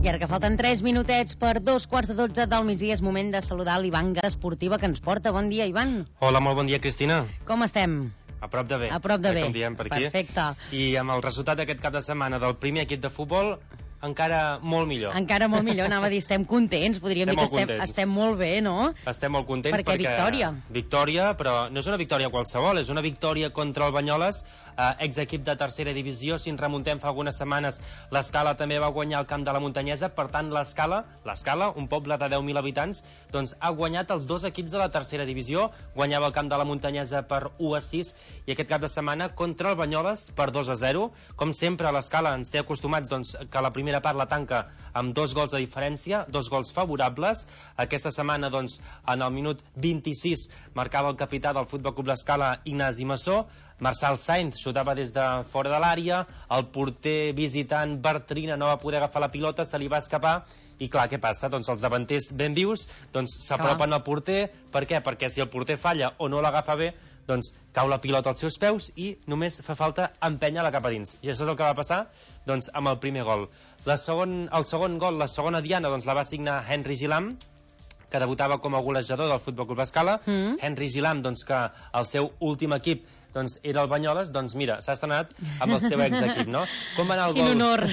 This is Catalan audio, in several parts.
I ara que falten 3 minutets per 2:15 del migdia, és moment de saludar l'Ivan Esportiva que ens porta. Bon dia, Ivan. Hola, molt bon dia, Cristina. Com estem? A prop de bé. A prop de bé. Com diem per aquí. Perfecte. I amb el resultat d'aquest cap de setmana del primer equip de futbol, encara molt millor. Encara molt millor, anava a dir, estem contents, podríem dir que estem molt bé, no? Estem molt contents perquè victòria. Victòria, però no és una victòria qualsevol, és una victòria contra el Banyoles, exequip de tercera divisió. Si ens remuntem fa algunes setmanes, l'Escala també va guanyar el camp de la Muntanyesa, per tant l'Escala, un poble de 10.000 habitants, doncs ha guanyat els dos equips de la tercera divisió, guanyava el camp de la Muntanyesa per 1-6 i aquest cap de setmana contra el Banyoles per 2-0. Com sempre, l'Escala ens té acostumats doncs, que la primera part la tanca amb 2 gols de diferència, 2 gols favorables. Aquesta setmana, doncs, en el minut 26 marcava el capità del Futbol Club l'Escala, Ignasi Massó. Marçal Sainz xutava des de fora de l'àrea, el porter visitant Bartrina no va poder agafar la pilota, se li va escapar i clar, què passa? Doncs els davanters ben vius s'apropen al porter. Per què? Perquè si el porter falla o no l'agafa bé, doncs cau la pilota als seus peus i només fa falta empènyer-la cap a dins. I això és el que va passar doncs, amb el primer gol. El segon gol, la segona diana, doncs, la va signar Henry Gilam, que debutava com a golejador del Futbol Club Escala. Henry Gilam, doncs, que el seu últim equip doncs, era el Banyoles, doncs mira, s'ha estrenat amb el seu exequip, no? Com va anar el gol? Quin honor!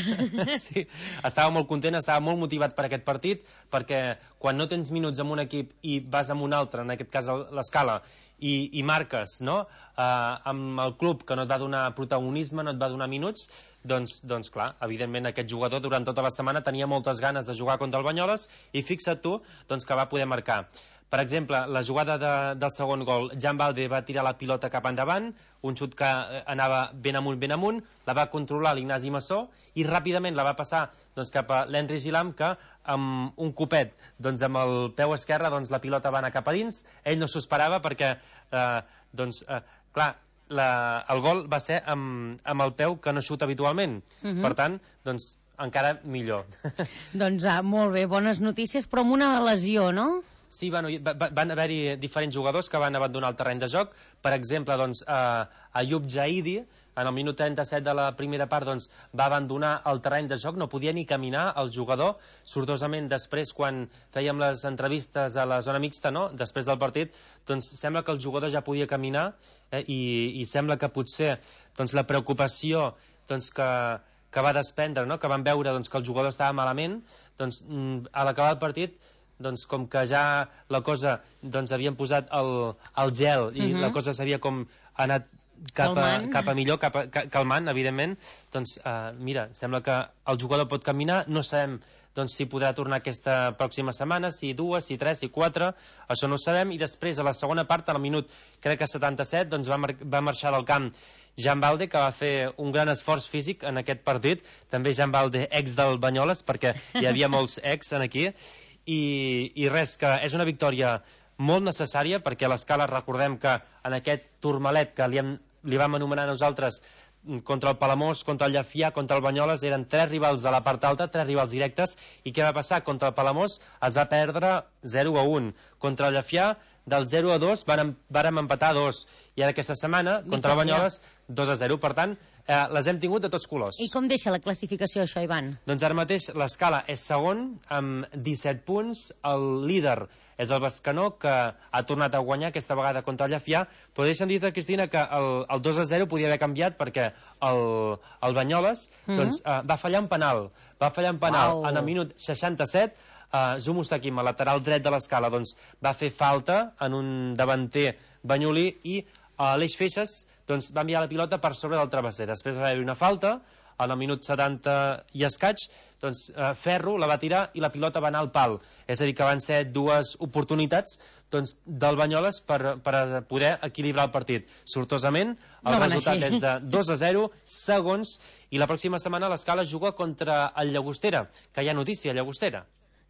Sí, estava molt content, estava molt motivat per aquest partit, perquè quan no tens minuts amb un equip i vas amb un altre, en aquest cas l'Escala, i marques, no?, amb el club que no et va donar protagonisme, no et va donar minuts, doncs clar, evidentment aquest jugador durant tota la setmana tenia moltes ganes de jugar contra el Banyoles i fixa't tu doncs, que va poder marcar. Per exemple, la jugada del segon gol, Jan Balde va tirar la pilota cap endavant, un xut que anava ben amunt, la va controlar l'Ignasi Massó i ràpidament la va passar doncs, cap a l'Henry Gilam, que amb un copet doncs, amb el peu esquerre doncs, la pilota va anar cap a dins. Ell no s'ho esperava perquè clar, el gol va ser amb el peu que no xuta habitualment. Per tant, doncs encara millor. Doncs molt bé, bones notícies, però amb una lesió, no? Sí, van haver-hi diferents jugadors que van abandonar el terreny de joc. Per exemple, doncs, Ayub Jaidi, en el minut 37 de la primera part, doncs, va abandonar el terreny de joc, no podia ni caminar el jugador. Sortosament, després, quan fèiem les entrevistes a la zona mixta, no?, després del partit, doncs sembla que el jugador ja podia caminar, i sembla que potser doncs, la preocupació doncs, que va desprendre, no?, que van veure doncs, que el jugador estava malament, doncs, a l'acabar el partit, doncs com que ja la cosa doncs havien posat el gel i la cosa s'havia com anat cap a millor, calmant, evidentment, doncs mira, sembla que el jugador pot caminar, no sabem doncs, si podrà tornar aquesta pròxima setmana, si 2, si 3, si 4, això no ho sabem. I després, a la segona part, al minut, crec que 77, doncs va marxar del camp Jan Balde, que va fer un gran esforç físic en aquest partit, també Jan Balde, ex del Banyoles, perquè hi havia molts ex aquí, i res, que és una victòria molt necessària, perquè l'Escala, recordem que en aquest turmalet que li vam anomenar nosaltres, contra el Palamós, contra el Llefià, contra el Banyoles, eren 3 rivals de la part alta, 3 rivals directes, i què va passar? Contra el Palamós es va perdre 0-1, contra el Llefià del 0-2 vàrem empatar 2, i ara aquesta setmana contra el Banyoles 2-0, per tant les hem tingut de tots colors. I com deixa la classificació això, Ivan? Doncs ara mateix l'Escala és segon amb 17 punts, el líder és el Bescanó, que ha tornat a guanyar aquesta vegada contra el Llefià, però deixa'm dir-te, Cristina, que el 2-0 podia haver canviat perquè el Banyoles doncs, va fallar un penal en el minut 67. Zumustakim, a lateral dret de l'Escala, doncs, va fer falta en un davanter banyolí i l'Eix Feixes doncs, va enviar la pilota per sobre del travesser. Després va haver-hi una falta en el minut 70 i escaig, doncs Ferro la va tirar i la pilota va anar al pal. És a dir, que van ser 2 oportunitats doncs, del Banyoles per poder equilibrar el partit. Sortosament, el resultat és de 2-0, segons, i la pròxima setmana l'Escala juga contra el Llagostera, que hi ha notícia a Llagostera.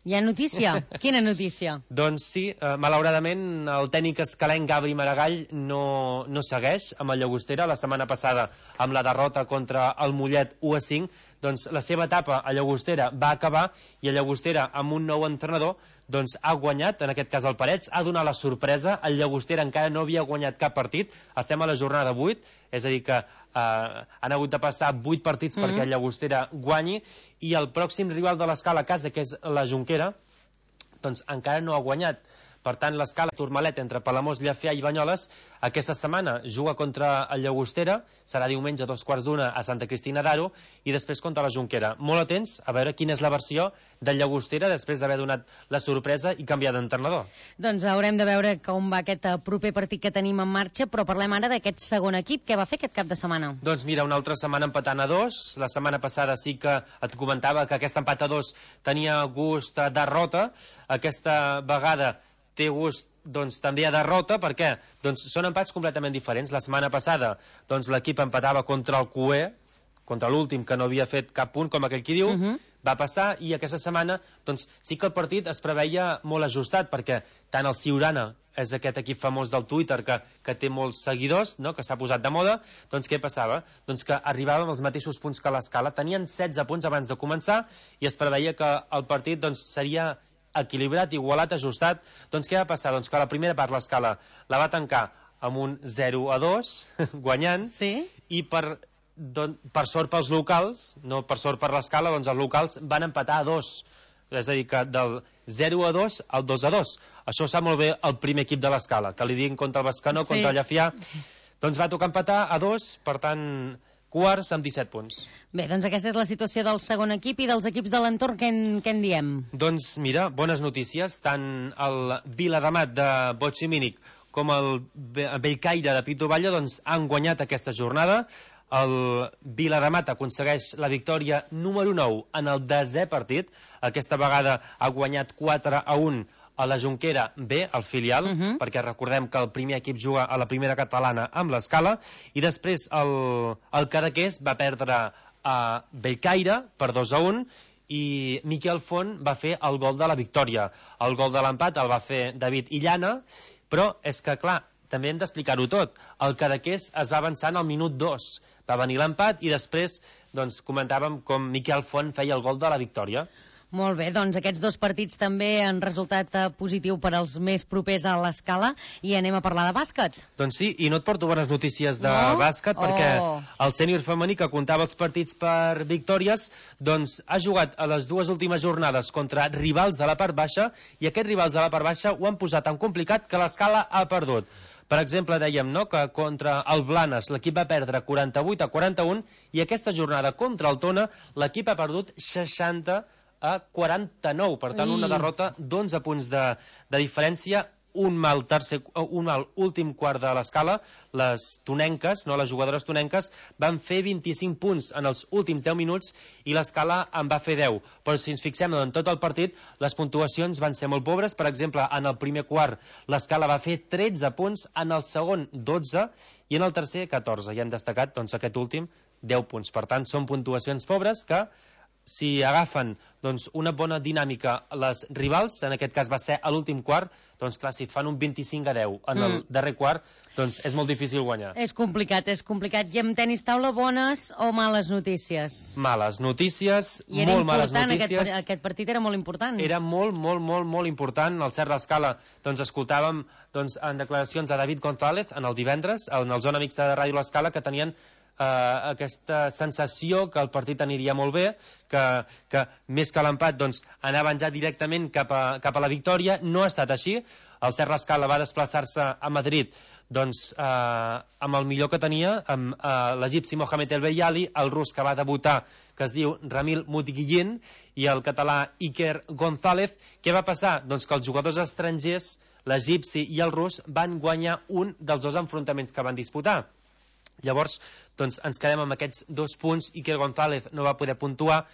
Hi ha notícia? Quina notícia? Doncs sí, malauradament el tècnic escalenc Gabri Maragall no segueix amb el Llagostera. La setmana passada, amb la derrota contra el Mollet 1-5, doncs, la seva etapa a Llagostera va acabar i a Llagostera, amb un nou entrenador, doncs, ha guanyat, en aquest cas el Parets, ha donat la sorpresa. El Llagostera encara no havia guanyat cap partit, estem a la jornada 8, és a dir que han hagut de passar 8 partits perquè el Llagostera guanyi, i el pròxim rival de l'Escala a casa, que és la Jonquera, doncs encara no ha guanyat. Per tant, l'Escala Tourmalet entre Palamós, Llafia i Banyoles aquesta setmana juga contra el Llagostera, serà diumenge a 2:15 a Santa Cristina d'Aro, i després contra la Jonquera. Molt atents a veure quina és la versió del Llagostera després d'haver donat la sorpresa i canviar d'entrenador. Doncs haurem de veure com va aquest proper partit que tenim en marxa, però parlem ara d'aquest segon equip. Què va fer aquest cap de setmana? Doncs mira, una altra setmana empatant a 2. La setmana passada sí que et comentava que aquest empat a 2 tenia gust a derrota. Aquesta vegada té gust doncs, també a derrota. Per què? Doncs són empats completament diferents. La setmana passada doncs, l'equip empatava contra el Cué, contra l'últim que no havia fet cap punt, com aquell qui diu, va passar, i aquesta setmana doncs, sí que el partit es preveia molt ajustat, perquè tant el Siurana, és aquest equip famós del Twitter que té molts seguidors, no? Que s'ha posat de moda, doncs què passava? Doncs que arribàvem als mateixos punts que l'Escala, tenien 16 punts abans de començar i es preveia que el partit doncs, seria equilibrat, igualat, ajustat. Doncs què va passar? Doncs que la primera part l'Escala la va tancar amb un 0-2, guanyant, i per sort pels locals, no per sort per l'Escala, doncs els locals van empatar a 2. És a dir, que del 0-2 al 2-2. Això sap molt bé el primer equip de l'Escala, que li diguin contra el Bescanó, contra el Llafià. Doncs va tocar empatar a 2, per tant, quarts amb 17 punts. Bé, doncs aquesta és la situació del segon equip i dels equips de l'entorn. Què en diem? Doncs mira, bones notícies. Tant el Viladamat de Botximínic com el Bellcaire de Pito Valle doncs, han guanyat aquesta jornada. El Viladamat aconsegueix la victòria número 9 en el 10è partit. Aquesta vegada ha guanyat 4-1 a la Jonquera B, el filial, perquè recordem que el primer equip juga a la primera catalana amb l'Escala, i després el Cadaqués va perdre a Bellcaire per 2-1, i Miquel Font va fer el gol de la victòria. El gol de l'empat el va fer David Illana, però és que, clar, també hem d'explicar-ho tot. El Cadaqués es va avançar en el minut 2. Va venir l'empat i després doncs, comentàvem com Miquel Font feia el gol de la victòria. Molt bé, doncs aquests dos partits també han resultat positiu per als més propers a l'Escala, i anem a parlar de bàsquet. Doncs sí, i no et porto bones notícies de bàsquet, perquè el sènior femení, que comptava els partits per victòries, doncs ha jugat a les dues últimes jornades contra rivals de la part baixa, i aquests rivals de la part baixa ho han posat tan complicat que l'Escala ha perdut. Per exemple, dèiem que contra el Blanes l'equip va perdre 48-41, i aquesta jornada contra el Tona l'equip ha perdut 60-49, per tant una derrota d'11 punts de diferència. Un mal últim quart de l'Escala. Les tonenques, les jugadores tonenques, van fer 25 punts en els últims 10 minuts i l'Escala en va fer 10. Però si ens fixem en tot el partit, les puntuacions van ser molt pobres. Per exemple, en el primer quart l'Escala va fer 13 punts, en el segon 12 i en el tercer 14. I hem destacat doncs, aquest últim 10 punts. Per tant, són puntuacions pobres que, si agafen doncs, una bona dinàmica les rivals, en aquest cas va ser a l'últim quart, doncs clar, si et fan un 25-10 en el darrer quart, doncs és molt difícil guanyar. És complicat. I amb tenis taula, bones o males notícies? Males notícies, molt males notícies. Aquest partit era molt important. Era molt important. Al Cert l'Escala doncs, escoltàvem en declaracions a David González en el divendres, en el Zona Mixta de Ràdio l'Escala, que tenien aquesta sensació que el partit aniria molt bé, que més que l'empat doncs, anaven ja directament cap a la victòria. No ha estat així. El Cert l'Escala va desplaçar-se a Madrid doncs, amb el millor que tenia, amb l'egipci Mohamed El Beyali, el rus que va debutar, que es diu Ramil Mutiguillin, i el català Iker González. Què va passar? Doncs que els jugadors estrangers, l'egipci i el rus, van guanyar un dels dos enfrontaments que van disputar. Llavors, doncs, ens quedem amb aquests 2 punts. Iker González no va poder puntuar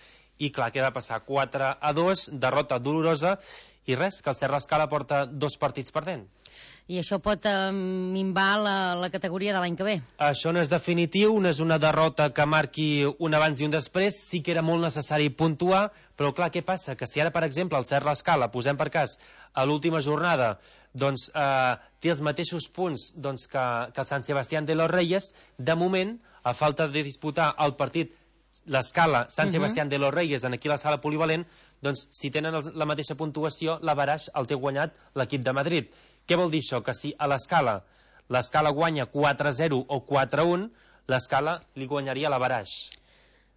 i, clar, què va passar? 4-2, derrota dolorosa, i res, que el Cert l'Escala porta 2 partits perdent. I això pot minvar la categoria de l'any que ve? Això no és definitiu, no és una derrota que marqui un abans i un després. Sí que era molt necessari puntuar, però clar, què passa? Que si ara, per exemple, el Cert l'Escala, posem per cas, a l'última jornada, doncs té els mateixos punts doncs, que el Sant Sebastián de los Reyes, de moment, a falta de disputar el partit l'escala Sant Sebastián de los Reyes, en aquí la sala polivalent, doncs si tenen la mateixa puntuació, l'Avarax el té guanyat l'equip de Madrid. Què vol dir això? Que si a l'escala guanya 4-0 o 4-1, l'escala li guanyaria l'Avarax.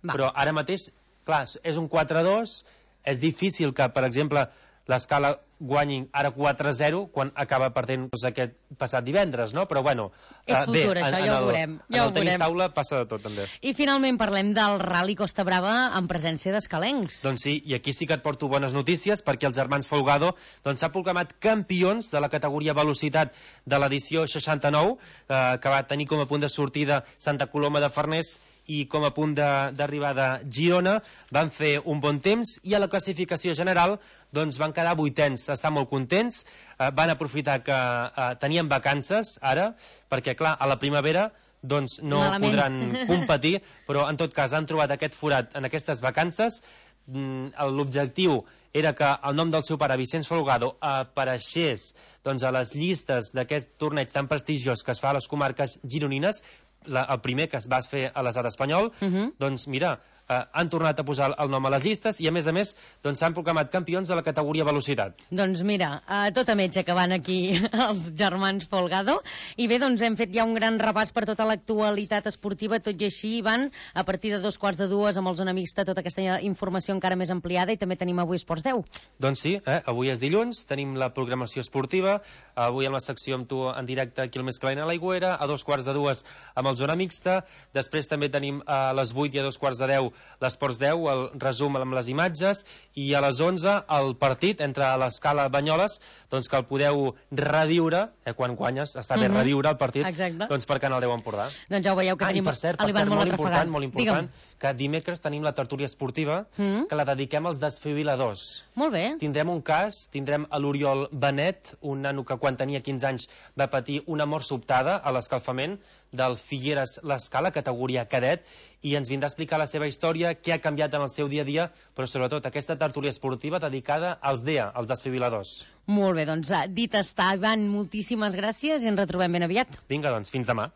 Però ara mateix, clar, és un 4-2, és difícil que, per exemple, l'escala guanyi ara 4-0 quan acaba perdent aquest passat divendres, no? Però bueno, és futur, bé, això ja ho veurem. En el tenis taula passa de tot, també. I finalment parlem del Rally Costa Brava en presència d'escalencs. Doncs sí, i aquí sí que et porto bones notícies, perquè els germans Folgado s'han proclamat campions de la categoria velocitat de l'edició 69, que va tenir com a punt de sortida Santa Coloma de Farners i com a punt d'arribada Girona. Van fer un bon temps i a la classificació general doncs van quedar 8ens. Estan molt contents, van aprofitar que tenien vacances ara, perquè clar, a la primavera doncs no podran competir, però en tot cas han trobat aquest forat en aquestes vacances. L'objectiu era que el nom del seu pare, Vicenç Folgado, apareixés doncs, a les llistes d'aquest torneig tan prestigiós que es fa a les comarques gironines, el primer que es va fer a l'estat espanyol. Doncs mira, han tornat a posar el nom a les llistes i a més doncs s'han proclamat campions de la categoria velocitat. Doncs mira, tot a metge que van aquí els germans Folgado. I bé, doncs hem fet ja un gran repàs per tota l'actualitat esportiva, tot i així, Ivan, a partir de 2:45 amb el Zona Mixta, tota aquesta informació encara més ampliada, i també tenim avui Esports 10. Doncs sí, avui és dilluns, tenim la programació esportiva, avui amb la secció amb tu en directe aquí al Més Calent a l'Aigüera, a 2:45 amb el Zona Mixta, després també tenim a les 8 i a 2:10 l'Esports 10, el resum amb les imatges, i a les 11 el partit entre l'Escala Banyoles, doncs que el podeu reviure, quan guanyes, està bé reviure el partit, doncs per Canal 10 Empordà. Doncs ja ho veieu que tenim l'Ivan molt atrafegat. Molt important, que dimecres tenim la tertúlia esportiva, que la dediquem als desfibriladors. Molt bé. Tindrem un cas, tindrem a l'Oriol Benet, un nano que quan tenia 15 anys va patir una mort sobtada a l'escalfament del Figueres l'Escala, categoria cadet, i ens vindrà a explicar la seva història, què ha canviat en el seu dia a dia, però sobretot aquesta tertúlia esportiva dedicada als DEA, als desfibriladors. Molt bé, doncs dit està, Ivan, moltíssimes gràcies i ens retrobem ben aviat. Vinga, doncs, fins demà.